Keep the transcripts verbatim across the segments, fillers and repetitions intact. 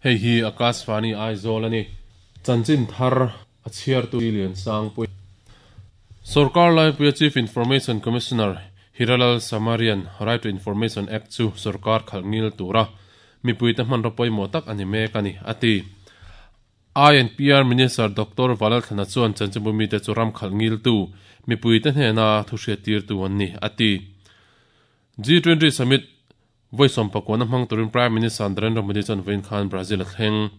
Hei hi Akashvani Aizawl ani. Chanchin thar a chhiar tu lian sang pui. Sarkar Laipuia Chief Information Commissioner Hiralal Samarian Right to Information Act chu sarkar khalngil tura mipui te hman ropoi tak ani mek ani ati. I and P R Minister Doctor Valal Thana chuan chanchinbumi te chu ram khalngil tu mipui te hnena thu hriat tir tu an ni ati. G twenty Summit voisom pakwana hmang turin Prime Minister Narendra Modi chuan vawiin khan Brazil a thleng.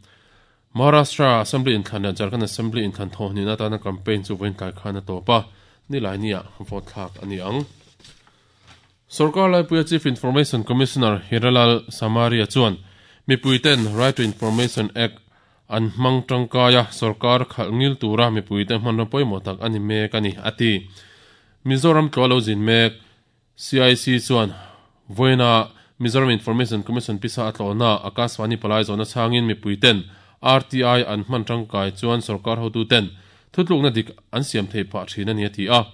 Maharashtra Assembly in thlan leh Jharkhand Assembly in thlan thaw hnihna atana campaign chu vawiin tlai khan a tawp a, nilai nia vote thlak ani ang. Sarkar Laipuia Chief Information Commissioner Hiralal Samaria chuan mipui ten Right to Information Act an hmang tangkaia sarkar khalngil tura mipui te hman ropoi tak ani mek ani ati. Mizoram tlawlo zin mek C I C chuan voina Mizoram Information Commission pisa atlona Akashvani palai zona changin mipui ten R T I an hman tangkai chuan sarkar hotu ten thutlukna dik an siam thei pha thin ani ati a.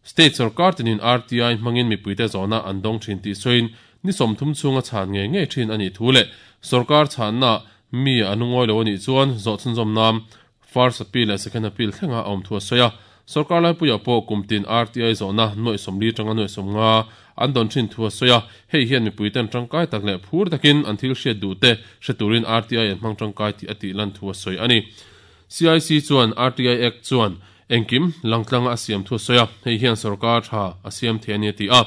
State sarkar tinin R T I hmangin mipui te zona an dong thin ti soin ni somthum chunga chan nge nge thin ani thule sarkar channa mi anungoi lo ani chuan zo chunzom nam first appeal le second appeal thlenga awm thua soya sarkar lai puya po kumtin R T I zona noi somli tanga noi somnga an don thin thua soya hei hian mipui ten tangkai tak le phur takin an thil hriat du te hreturin R T I an hmang tangkai ti ati lan thua soi ani. C I C chuan R T I Act chuan engkim langtlang a siam thua soya hei hian sarkar tha a siam the ani ti a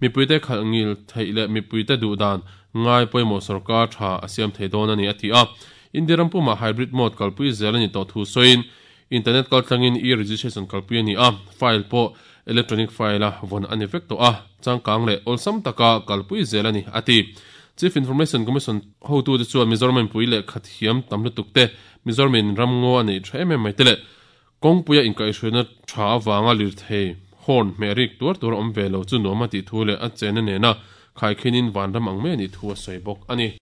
mipui te khalngil theile mipui te du dan ngai poimo sarkar tha a siam thei don ani ati a. Indiram puma hybrid mode kalpui zelani to thu soin internet kaltlangin e-registration kalpui ani a file po electronic file a von ani vek to a changkang le olsam taka kalpui zelani ati. Chief Information Commission hotu te chuan Mizoram pui le khathiam tamlu tukte Mizoram in ramngo ani thaem mai tele kongpuia inkai hruina tha wanga lir thei horn merik tur tur om velo chu noma ti thu le a chena ne na khai khinin vanram ang me ni thu a soi bok ani.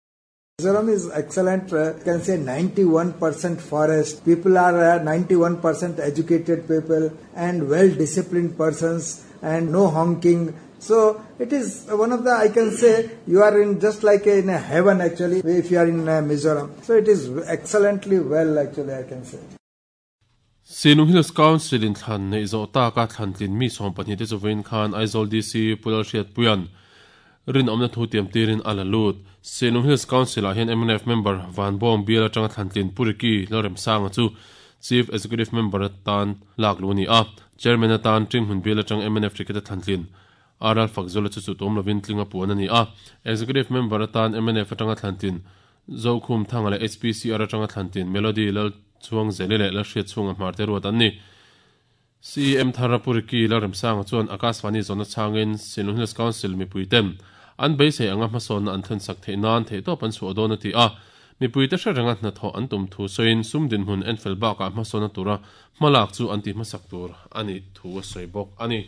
Mizoram is excellent, uh, you can say ninety-one percent forest, people are uh, ninety-one percent educated people and well disciplined persons and no honking. So it is one of the, I can say, you are in just like in a heaven actually if you are in uh, Mizoram. So it is excellently well actually I can say. Sinung Hills Council in thlan nei zo ta ka thlan tlin mi som pahnih te chuwain khan Aizawl D C Pulal Hriat Puian rin omna thu tiam tirin ala lut. Sinung Hills Council ah hian M N F member Van Bong Bial atanga thlan tlin Puriki Lalrem Sanga chu Chief Executive Member atan lak lu ni a. Chairman atan Tinghmun Bial atang M N F ticket thlan tlin Aral Fakzola chu chu tom lovin tlinga puan ani a. Executive Member atan M N F atanga thlan tlin Zokhum Thanga le H P C R atanga thlan tlin Melody Lal chuang zelele la hriat chunga hmarte ruat an ni. C M Tharapuriki Lalrem Sanga chuan Akashvani zona changin Sinung Hills Council mipui ten an beisei anga hmasawn an thlen sak thei nan thei tawp an chhuah dawn ati a. Mipui te hre renga hna thaw an tum thu soin sum din hmun enfel bakah hmasawn a tura hmalak chu an ti hmasak tur ani thu a sawi bawk ani.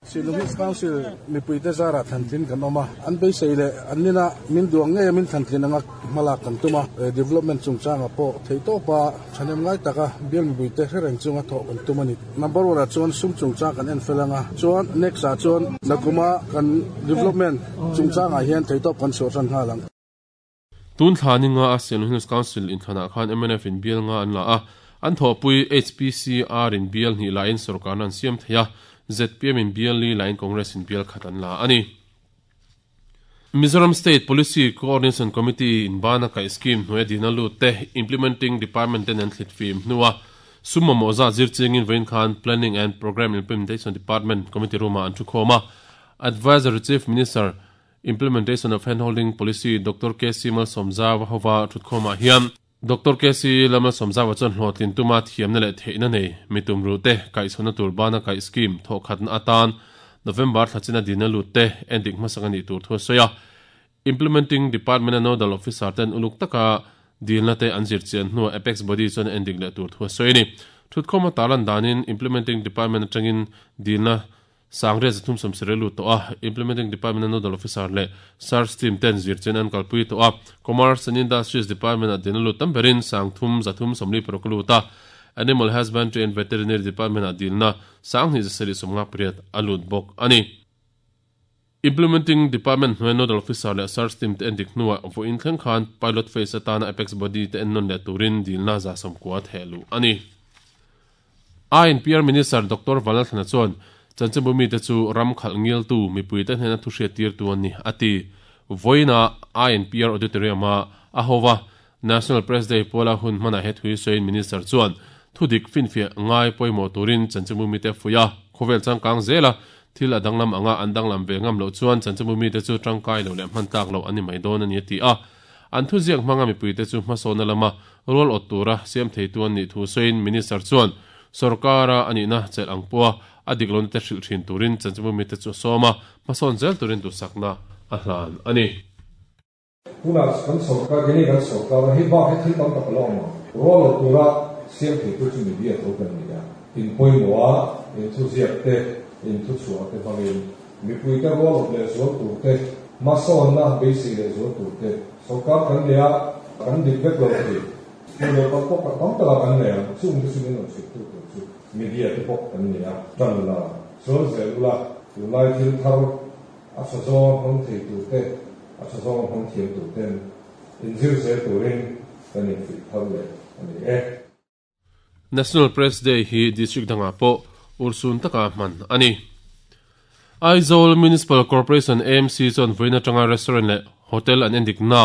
Sinung Hills Council mipui te zara thantlin kan awm a, an beisei le an nina min duang nge min thantlin anga hmalak kan tuma development chungchanga pawh thei tawpa thanem ngai taka bial mipui te hre reng chunga thawh kan tum ani. Number one ah chuan sum chungchang kan enfel anga chuan next ah chuan nakuma kan development chungchangah hian thei tawp kan chhuah tan nghal ang. Tun thlani nga a Sinung Hills Council in thlanah khan M N F in bial nga an la a, an thawhpui H P C R in bial hnih lain sarkar an siam thei a, Z P M in bial li lain Congress in bial khat an la ani. Mizoram State Policy Coordination Committee in bana kai scheme hnuai dina lu te implementing department ten an thlit fim hnuwa summa moza zir chingin vein khan Planning and Program Implementation Department Committee ruma an thu khoma. Advisory Chief Minister Implementation of Handholding Policy Doctor K C Malsawmzawa hova thut khoma hian Doctor K C Malsawmzawa chuan hlawhtlin tuma thiamna leh theihna nei mitum ru te kaihchhawna tur bana kai scheme thawh khatna atan November thlachina dina lut te endik hmasak ani tur thu a sawi a. Implementing Department and Nodal Officer ten uluk taka dilna te an zir chian hnuah Apex Body chuan endik leh tur thu a sawi ani. Thutkhawma talan danin Implementing Department atangin dilna sangre zathum samsere lu to a. Implementing Department and Nodal Officer le search team ten zir chen an kalpui to a. Commerce and Industries Department a dina lu tamberin sangthum zathum somli paroklu ta. Animal Husbandry and Veterinary Department a dilna sangni zasari somnga priat alut bok ani. Implementing Department hnuai Nodal Officer leh Search Team te endik hnuah vawiin thleng khan Pilot Phase atana Apex Body te ennawn leh turin dilna za sawmkua thehluh a ni. I N P R Minister Doctor Vanlalthlana chuan chanchinbu mite chu ram khalh ngiltu mipuite hnena thu hriat tirtu an ni a ti. Vawiina I N P R Auditorium a a hova National Press Day puala hun hmanah he thui sawiin Minister chuan thudik finfiah ngai pawimawh turin chanchinbu mite fuih a, khawvel changkang zela thil a danglam anga an danglam ve ngam loh chuan chanchinbu mite chu tangkai lo leh hman tlak loh a ni mai dawn a ni a ti a. An thu ziak hmanga mipuite chu hmasawna lama rual awt tura siam theitu an nih thu sawiin Minister chuan sarkara anihna chelh ang pawha a dik lohna te hrilh thin turin chanchinbu mite chu a sawm a, hmasawn zel turin duhsakna a hlan a ni. Tunah kan sarkar keni kan sarkar hi bak hi thil tam tak a lo awm ang. Rual awt tura siam theitu chu media tho kan ni a. In pawimawh a, in thu ziak te, in thu chhuah te hmangin mipuite rual awt leh zual tur te, hmasawnna beisei leh zual tur te, sarkar kan nei a, kan dik vek lo thei. Hmuh loh tam pawh tam taka kan nei ang. Chung te chu min rawn hrilh tu tur chu media te pawh kan nei a. Tan la chuan zel ula, tunlai thil thar a tha zawng hmang thei tur te, a tha zawng hmang thiam tur ten inzir zel turin kan infuih thar leh a ni e. National Press Day hi district dangah pawh urhsun taka hman a ni. Aizawl Municipal Corporation A M C chuan vawiin atanga restaurant leh hotel an endik na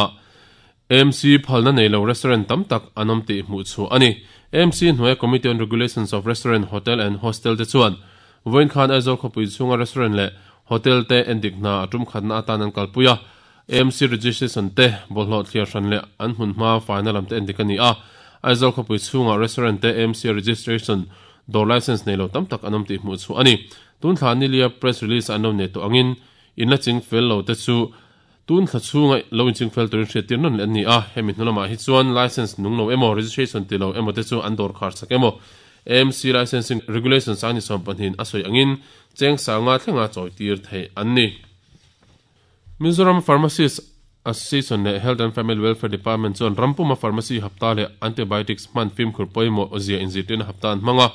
A M C phalna nei lo restaurant tam tak an awm tih hmuh chu a ni. A M C hnuaia Committee on Regulations of Restaurant, Hotel and Hostel te chuan vawiin khan Aizawl khawpui chhunga restaurant leh hotel te endik hna a tum khatna atan an kalpui a. A M C registration te bawlhhlawh thliar hran leh an hmun hma faina lam te endik a ni a. Aizawl khawpui chhunga restaurant te A M C registration dawr license nei lo tam tak an awm tih hmuh chu a ni. Tun thla nilia press release an lo nei tawh angin in la ching fel lo te chu tun thla chhunga lo in ching fel turin hriat tir nawn leh an ni a. Hemi hnu lamah hi chuan license nung lo emaw, registration ti lo emaw te chu an dawr khar sak emaw, A M C licensing regulations ani sawm pahnih a sawi angin cheng sanga thlenga chawi tir thei an ni. Mizoram Pharmacist Association leh Health and Family Welfare Department chuan rampuma pharmacy hapta leh antibiotics hman fimkhur pawimawh zia inzirtirna hapta an hmanga.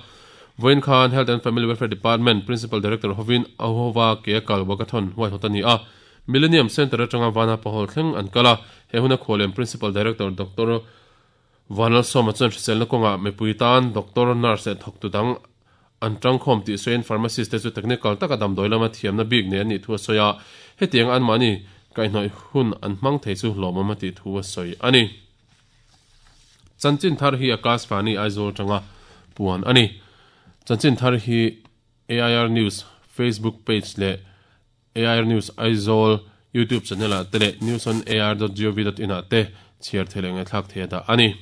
Vawiin khan Health and Family Welfare Department Principal Director hovin ahova ke kal walkathon huaihawt a ni a. Millennium Center atanga Vana Pahol thleng an kala. He huna khualem Principal Director Doctor Vanal Soma chuan hriselna kawnga mipui tan doctor, nurse leh thawktu dang an tangkhawm tih sawiin pharmacist te chu technical taka damdawi lama thiamna bik nei an nih thu a sawi a. Hetiang an mahni kaihhnawih hun an hmang thei chu hlawmawm a tih thu a sawi a ni. Chanchin thar hi Akashvani Aizawl tanga puan a ni. Chanchin thar hi A I R News Facebook page leh A I R News Aizawl YouTube channel ah te leh news on A I R dot gov dot in ah te chhiar thei leh ngaihthlak thei a dah a ni.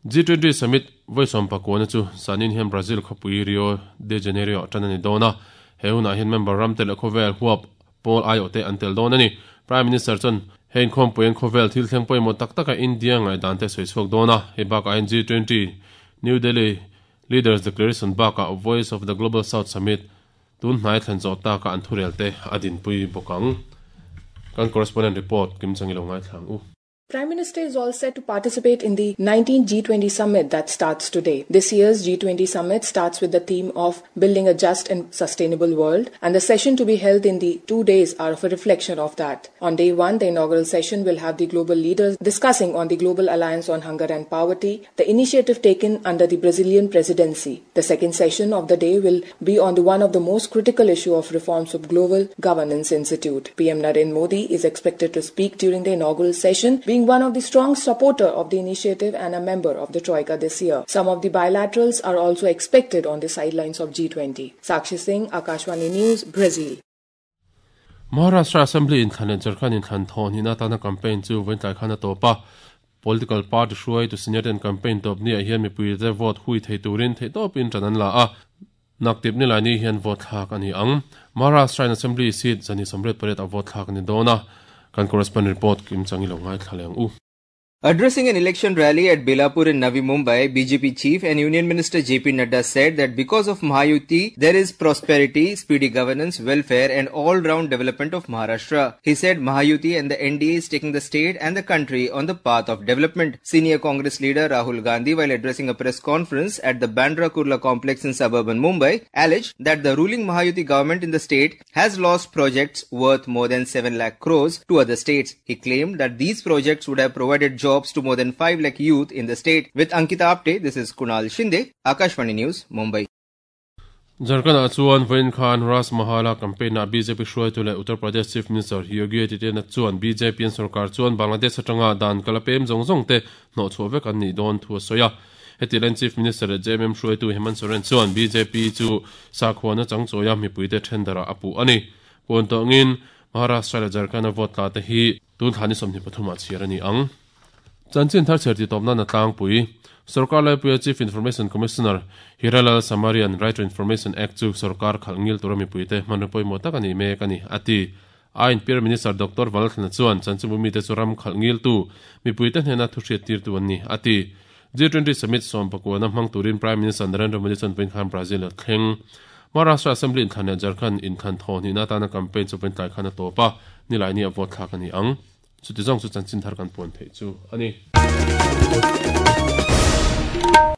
G twenty Summit vawi sawm pakuana chu zanin hian Brazil khawpui Rio de Janeiro tan a ni dawn a. He hunah hian member ram te leh khawvel huap pawl aiawh te an tel dawn a ni. Prime Minister chuan hein khawmpui an khawvel thil thleng pawimawh tak taka India ngaidan te sawi chhuak dawn a. Hei bakah hian G twenty New Delhi Leaders Declaration bakah Voice of the Global South Summit tun hnai thlen zawh taka an thurel te a dinpui bawk ang. Kan correspondent report kim changi lo ngai thlang u. Prime Minister is all set to participate in the nineteenth G twenty summit that starts today. This year's G twenty summit starts with the theme of building a just and sustainable world, and the session to be held in the two days are of a reflection of that. On day one, the inaugural session will have the global leaders discussing on the Global Alliance on Hunger and Poverty, the initiative taken under the Brazilian presidency. The second session of the day will be on the one of the most critical issue of reforms of Global Governance Institute. P M Narendra Modi is expected to speak during the inaugural session, being one of the strong supporter of the initiative and a member of the Troika this year. Some of the bilaterals are also expected on the sidelines of G twenty. Sakshi Singh, Akashvani News, Brazil. Maharashtra Assembly inthlan leh Jharkhand inthlan thawh hnihna atana campaign chu vawiin tlai khan a tawp a. Political party hruai tu senior ten campaign tawp ni ah hian mipui te vote hui thei turin thei tawpin ṭan an la a. Naktip ni lai ni hian vote thlak a ni ang. Maharashtra Assembly seat zani sawmriat pariat a vote thlak a ni dawn a. Kan correspondent report kim changi lo ngai thla leng u. Addressing an election rally at Belapur in Navi Mumbai, B J P Chief and Union Minister J P Nadda said that because of Mahayuti, there is prosperity, speedy governance, welfare and all-round development of Maharashtra. He said Mahayuti and the N D A is taking the state and the country on the path of development. Senior Congress leader Rahul Gandhi, while addressing a press conference at the Bandra Kurla complex in suburban Mumbai, alleged that the ruling Mahayuti government in the state has lost projects worth more than seven lakh crores to other states. He claimed that these projects would have provided jobs jobs to more than five lakh youth in the state. With Ankita Apte, this is Kunal Shinde, Akashvani News, Mumbai. Jharkhand chuan Vain Khan Ras Mahala campaign na B J P hruai tu le Uttar Pradesh Chief Minister Yogi Adityanath chuan B J P an sarkar chuan Bangladesh atanga dan kalapem zong zong te no chhuavek an ni don thu soya. Hetilen Chief Minister J M M hruai tu Hemant Soren chuan B J P chu sakhwana changchoya mipuite thendara apu ani. Pon tongin Maharashtra le Jharkhand vote la te hi tun thani somni pathuma chiarani ang. Chanchin thar cherti topna na tlang pui Sarkar Laipuia Chief Information Commissioner Hiralal Samarian Right to Information Act chu sarkar khalngil turami puite manupoi mota kani me kani ati ain Prime Minister Doctor Valthna chuan chanchumumi te churam khalngil tu mi puite hnena thuhriat tir tu anni ati G twenty Summit som pakwana hmang turin Prime Minister Narendra Modi chuan pen khan Brazil thleng Maharashtra Assembly in thane Jharkhand in than thoni na tana campaign chu pen tlai khana topa nilai ni avot thla kani ang chu ti jong chu chanchin thar kan pon thei chu ani.